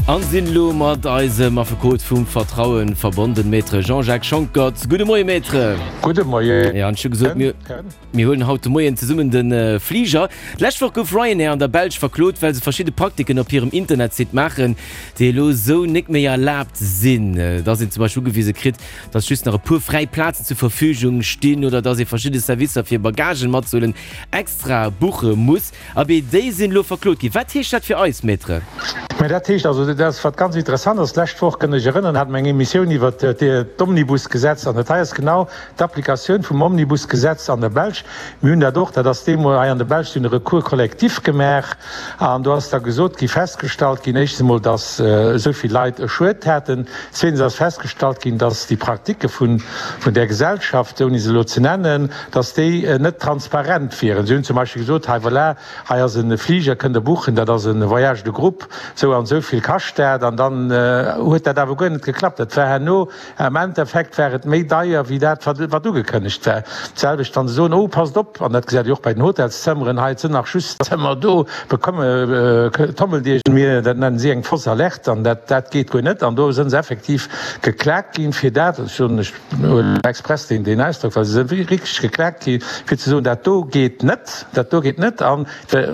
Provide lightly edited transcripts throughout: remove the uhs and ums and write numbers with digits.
An sinn elo mat eisem Affekot vum Vertrauen verbonden, Maître Jean-Jacques Schonckert. Gudde Moie Maître. Gudde Moien. Ja, an ech hu gesot, mir, mir huelen haut de Moien zesummen de Fliger. D'lescht Woch gouf Ryanair an der Belsch verklot, well se verschidde Praktiken op hirem Internetsite maachen, déi elo esou nik méi erlaabt sinn. Dass een zum Beispill ugewise kritt, dass just nach e puer fräi Plazen zur Verfügung stinn oder dass ee verschidde Servicer fir Bagagen matzehuelen extra buche muss. Abee, déi sinn elo verklot ginn. Wat heescht dat fir eis, Maître? Mä dat heescht also, dat ass wat ganz interessant ass, d'lescht Woch, kënnt Iech erënneren, hate mer eng Emissioun iwwert d'Omnibusgesetz an dat hei ass genau d'Applikatioun vum Omnibusgesetz an der Belsch. Mir hunn dat och, dat ass deemol hei an der Belsch, si hunn e Recours collectif gemaach an do ass da gesot gi, festgestallt ginn, éischtens emol, datt esou vill Leit e Schued haten, zweetens ass festgestallt ginn, datt déi Praktike vun där Gesellschaft, ouni se elo ze nennen, dass déi net transparent wieren. Si hunn zum Beispill gesot, hei voilà, hei ass e Fliger, kënnt Der buchen, dat ass e Voyage de groupe, sou an esou vill kascht dat. An dann huet dat awer guer net geklappt. Dat war herno, am Endeffekt war et méi deier wéi dat, wat ugekënnegt war. D'selwecht wann se soen, oh passt op, an dat gesäit Dir och bei den Hotelszëmmeren, hei et sinn nach just Zëmmer do, bekomme, tommelt Iech, mir, dat nennen si eng fausse alerte, an dat, dat geet guer net. An do sënn se effektiv geklakt ginn fir dat. Ech soen, ech huelen express deen deen Ausdrock, well se sinn wierklech geklakt gi fir ze soen, dat do geet net, dat do geet net an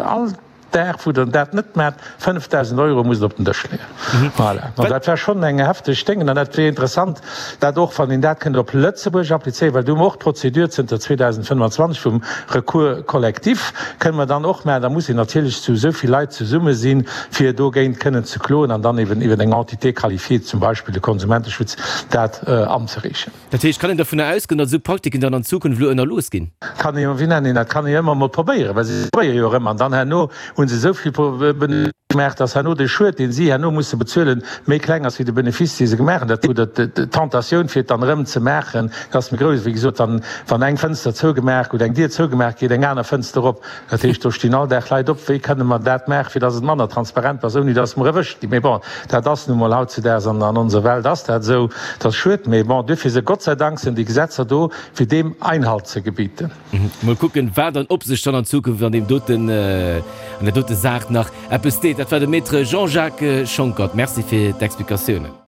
all Dag wou Der dat net maacht, 5.000 Euro musst Der op den Dësch leeën. Voilà. An dat war schonn eng hefteg Déngen an dat wier interessant, dat och, wann een dat kënnt op Lëtzebuerg applizéieren, well do hu mer och d'Prozedur zënter 2025 vum Recours collectif, kënne mer dann och maachen. Da muss een natierlech zu esou vill Leit zesumme sinn, fir dogéint kënnen ze kloen an dann eben iwwer eng Entité qualifiée, zum Beispill de Konsumenteschutz, dat anzereechen. Dat heescht, kann een dovunner ausgoen, datt esou Praktiken dann an Zukunft elo ënnerlooss ginn? Kann ee jo, wéi nennen een dat, kann ee jo ëmmer emol probéieren, well si probéiere jo erëm an dann herno hu se esou vill Benefice gemaach, datt herno de Schued, dee si herno musse bezuelen, méi kleng ass wéi de Benefice, dee se gemaach hunn. Dat, oder d'Tentatioun, fir et dann erëm ze maachen, ass méi grouss. Wéi gesot, wann, wann eng Fënster zougemaach oder eng Dier zougemaach gétt, eng aner Fënster op. Dat heescht, do stinn all Dag Leit op, wéi kënne mer dat maachen, fir datt et manner transparent ass, ouni datt mer erwëscht ginn. Mee bon, dat ass nu mol hautzedaags an an onser Welt ass dat esou. Dat ass schued, mee bon, duerfir se, Gott sei Dank sinn déi Gesetzer do, fir deem Einhalt ze gebieten. Mol kucken, wat an ob sech dann an Zukunft an deem doten, an där dote Saach nach eppes deet. Dat war de Maître Jean-Jacques Schonckert. Merci fir d'Explikatiounen.